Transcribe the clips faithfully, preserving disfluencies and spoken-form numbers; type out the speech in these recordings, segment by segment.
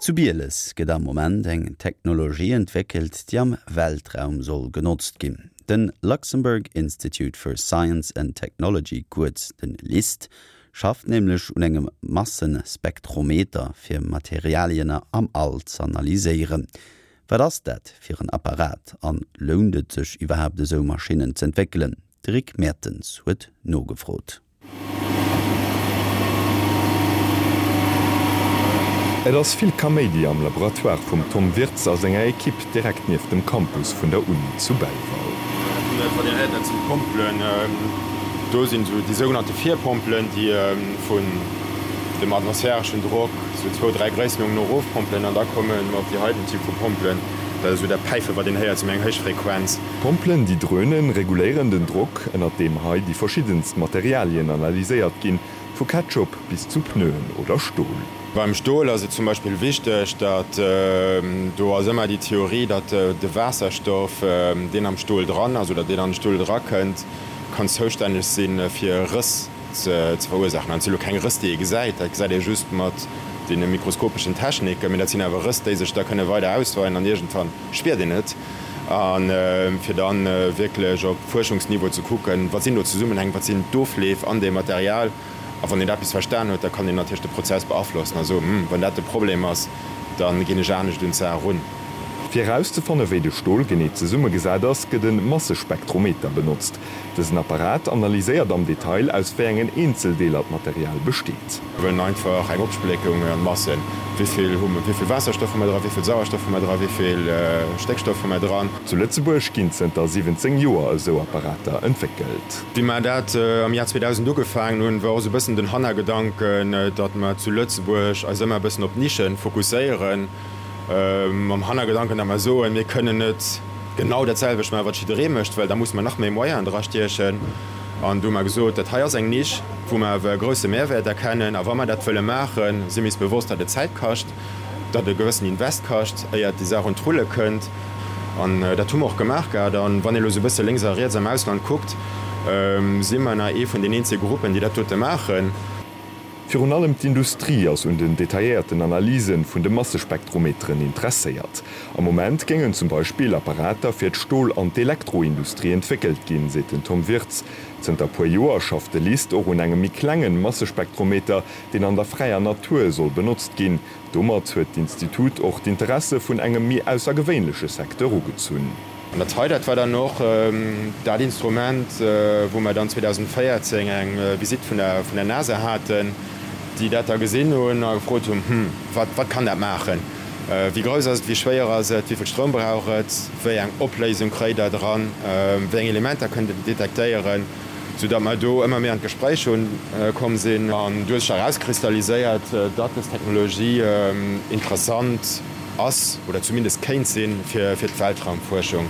Zu Bieles gëtt am Moment eng Technologie entwéckelt, déi am Weltraum soll genotzt ginn. Den Luxembourg Institute for Science and Technology, kuerz den LIST, schafft nämlech un engem Massespektrometer fir Materialien am All z'analyséieren. Wat ass dat fir en Apparat an lount et sech iwwerhaapt esou Maschinnen z'entwéckelen? De Rick Mertens huet nogefrot. Et ass vill Kaméidi am Laboratoire vum Tom Wirtz a senger Ekipp direkt nieft dem Campus vun der Uni zu Belval. Dat sinn d'Pompelen, do sinn esou déi sougenannte Virpompelen, déi vun dem atmosphäreschen Drock esou zwou, dräi Gréissenuerdnungen erofpompelen an da komme mer op déi heiten Typ vu Pompelen, dat ass esou dat Päifen, wat een héiert, esou méi eng héich Frequenz. D'Pompelen, déi drönen, reguléieren den Drock, ënnert deem hei déi verschiddenst Materialien analyséiert ginn, vu Ketchup bis zu Pneuen oder Stol. Beim Stol ass et zum Beispill wichteg, datt, do ass ëmmer déi Theorie, datt de Waasserstoff, deen am Stol dran ass oder deen an de Stol erakënnt, kann zoustänneg si fir Rëss ze verursaachen. An et si lo keng Rëss, déi ee gesäit, dat gesäit ee just mat deene mikroskopeschen Techniken, mee dat sinn awer Rëss, déi sech da kënne weider ausweien an iergendwann spiert een et. A fir da wierklech op Fuerschungsniveau ze kucken, wat sinn do d'Zesummenhäng, wat sinn d'Ofleef an deem Material. A wann een eppes verstan huet, da kann een natierlech de Prozess beaflossen a soen, Hm, wann dat de Problem ass, da ginn ech anescht un d'Saach erun. Fir erauszefanne wéi de Stol genee zesummegesat ass, gëtt e Massespektrometer benotzt. Dësen Apparat analyséiert am Detail, aus wéi engen Eenzeldeeler d'Material besteet. Mir wëllen einfach eng Opspléckung an Massen, wéi vill hu mer, wéi vill Waasserstoff hu mer dran, wéi vill Sauerstoff hu mer dran, wéi vill Stéckstoff hu mer dran. Zu Lëtzebuerg ginn zënter siwwenzéng Joer esou Apparater entwéckelt. Wéi mer dat am Jar zweedausend ugefaangen hunn, war och esou e bëssen den Hannergedanken, datt mer zu Lëtzebuerg eis ëmmer e bëssen op Nischen fokusséieren, mam Hannergedanken, datt mer soen, mir kënnen net genau dat selwecht maachen, wat jidderee mécht, well da musse mer nach méi Moyenen drastiechen. An du hu mer gesot, dat hei ass eng Nisch, wou mer awer e grousse Mehrwäert erkennen. A wa mer dat wëlle maachen, si mir eis bewosst, datt et Zäit kascht, datt e gewëssen Invest kascht, éiert déi Saach un d'Rulle kënnt. An dat hu mer och gemaach gehat. An wann ee elo esou e bësse lénks a riets am Ausland kuckt, si mer nach ee vun den eenzege Gruppen, déi dat dote maachen. Virun allem d'Industrie ass un den detailléierten Analyse vun de Massespektrometeren interesséiert. Am Moment géingen zum Beispill Apparater fir d'Stol an d'Elektroindustrie entwéckelt ginn, seet den Tom Wirtz. Zënter puer Joer schafft de LIST och un engem méi klengen Massespektrometer, deen an der fräier Natur soll benotzt ginn. Domat huet d'Institut och d'Interesse vun engem méi aussergewéinleche Secteur ugezunn. An dat hei, dat war dann och dat Instrument, wou mer dann zweedausendvéierzéng eng Visitt vun der vun der NASA haten, déi dat da gesinn hunn a gefrot hunn, Hm, wat wat kann dat maachen? Wéi grouss ass et, wéi schwéier ass et, wéi vill Stroum brauch et, wéi eng Opléisung kréit Der dran, wéi eng Elementer kënnt Der detektéieren? Soudatt mer do ëmmer méi an d'Gespréich hunn komm sinn. An do huet sech erauskristalliséiert, datt dës Technologie interessant ass oder zumindest kéint sinn fir d'Weltraumfuerschung.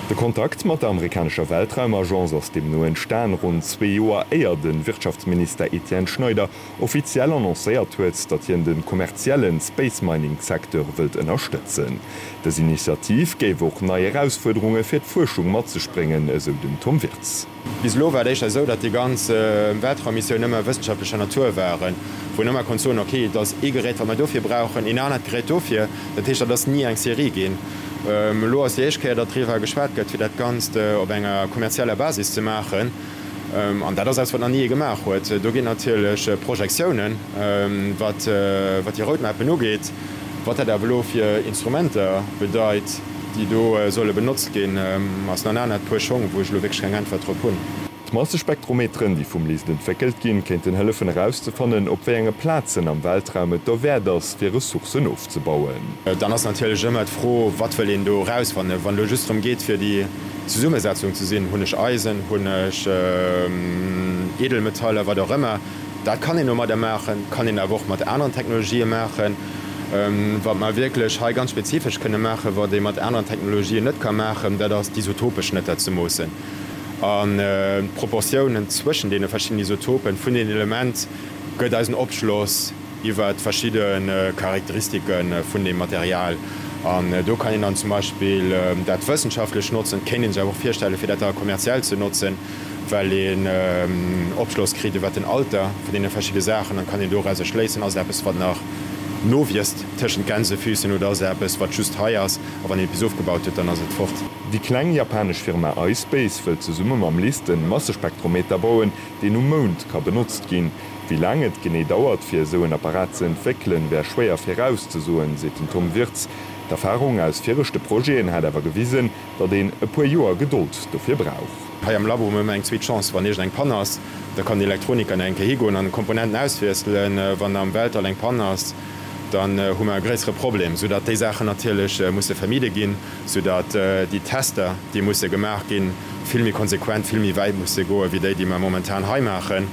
De Kontakt mat der amerikanescher Weltraumagence ass deemno entstan, ronn zwee Joer éier de Wirtschaftsminister Etienne Schneider offiziell annoncéiert huet, datt hien de kommerzielle Space-Mining-Secteur wëllt ënnerstëtzen. Dës Initiativ géif och nei Erausfuerderunge fir d'Fuerschung mat sech bréngen, esou den Tom Wirtz. Bis elo war et éischter esou, datt déi ganz Weltraummissioune ëmmer wëssenschaftlecher Natur waren, wou een ëmmer konnt soen, ok, et ass ee Gerät, wat mer dofir brauchen, een anert Gerät dofir. Dat heescht, dat ass ni eng Serie ginn. Elo ass déi éischt Kéier, datt driwwer geschwat gëtt, fir dat Ganzt op enger kommerzieller Basis ze maachen. An dat ass eppes, wat nach ni ee gemaach huet. Do ginn natierlech Projektiounen, wat déi Roadmappen ugeet. Wat dat awer elo fir Instrumenter bedeit, déi do solle benotzt ginn, ass nach en anert Puer Schong, wou ech elo wierklech keng Äntwert drop hunn. D'Massespektrometeren, déi vum LIST entwéckelt ginn, kéinten hëllefen erauszefannen, op wéi enge Plazen am Weltraum et derwäert ass, fir Ressourcen ofzebauen. Dann ass natierlech ëmmer d'Fro, wat wëll een do erausfannen? Wann et elo just drëm geet, fir déi Zesummesetzung ze sinn, hunn ech Eisen, hunn ech Edelmetaller, wat och ëmmer, dat kann een domadder maachen, kann een awer och mat aneren Technologië maachen. Wat mer wierklech hei ganz spezifesch kënne maachen, wat ee mat aneren Technologien net ka maachen, dat ass d'Isotopeschnëtter ze moossen an d'Proportiounen zwëschen deene verschiddenen Isotopen vun den Element gëtt eis en Opschloss iwwert verschidde Charakteristike vun deem Material. An do kann een dann zum Beispill dat wëssenschaftlech notzen, et kéint ee sech awer och virstellen, fir dat da kommerziell ze notzen, well een Opschloss kritt iwwert den Alter vun deene verschidde Saachen an kann een dorauser schléissen, ass et eppes, wat nach nowiisst tëschent Gänsefüßchen oder ass et eppes, wat just hei ass a wann een et bis ofgebaut huet, dann ass et fort. Déi kleng japanesch Firma iSpace wëllt zesumme mam LIST en Massespektrometer bauen, deen um Mound ka benotzt ginn. Wéi laang et genee dauert, fir esou en Apparat ze entwéckelen, wär schwéier virauszesoen, seet den Tom Wirtz. D'Erfarung aus viregte Projeten hätt awer gewisen, datt een e puer Joer Gedold dofir brauch. Hei am Labo hu mer ëmmer eng zweet Chance, wann iergend eng Pann ass, da kann den Elektroniker nach eng Kéier higoen an Komponenten auswiesselen. Wann am Weltall eng Pann ass, dann hu mer e gréissere Problem, soudatt déi Saachen natierlech musse vermide ginn, soudatt déi Tester, déi musse gemaach ginn, vill méi konsequent, vill méi wäit musse goen, wéi déi, déi mer momentan hei maachen,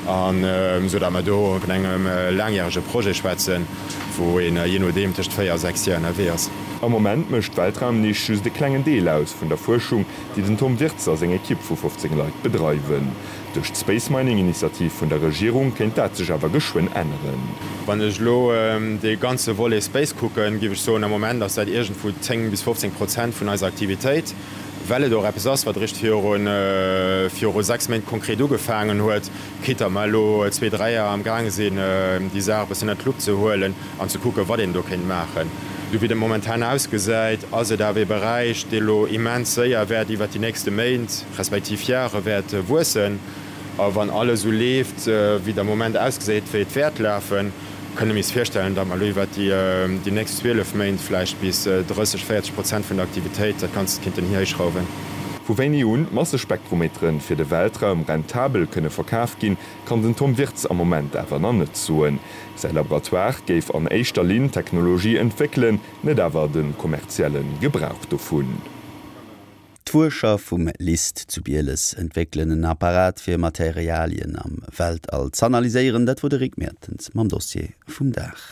an soudatt mer do vun engem laangjärege Projet schwätzen, wou een jee nodeem tëscht véier a sechs Joer ënnerwee ass. Am Moment mécht d'Weltraumnisch just e klengen Deel aus vun der Fuerschung, déi den Tom Wirtz a seng Ekipp vu fofzéng Leit bedreiwen. Duerch d'Space Mining Initiativ vun der Regierung kéint dat sech awer geschwënn änneren. Wann ech elo dee ganze Volet Space kucken, géif ech soen, am Moment ass dat iergendwou zéng bis fofzéng Prozent vun eiser Aktivitéit, well et och eppes ass, wat eréischt viru sechs Méint konkret ugefaangen huet, quitte mer elo zwee, dräi Joer am gaange sinn, déi Saach e bëssen ënnert d'Lupp ze huelen an ze kucken, wat een do kéint maachen. Esou wéi et momentan ausgesäit, ass et awer ee Beräich, dee elo immens séier wäert iwwert déi nächste Méint respektiv Jahre wäert wuessen. A wann alles esou leeft, wéi et am Moment ausgesäit, wéi et wäert lafen, kënne mir is virstellen, datt mer elo iwwert déi nächst zwielef Méint vläicht bis drësseg, véierzeg Prozent vun der Aktivitéit dat Ganzt kinnten hihéichschrauwen. Vu wéini un d'Massespektrometeren fir de Weltraum rentabel kënne verkaf ginn, kann den Tom Wirtz am Moment awer nach net soen. Säi Laboratoire géif an éischter Linn Technologie entwéckelen, net awer de kommerzielle Gebrauch dovun. D'Fuerscher vum LIST zu Bieles entwéckelen en Apparat fir Materialien am Weltall z'analyséieren. Dat wor de Rick Mertens mam Dossier vum Dag.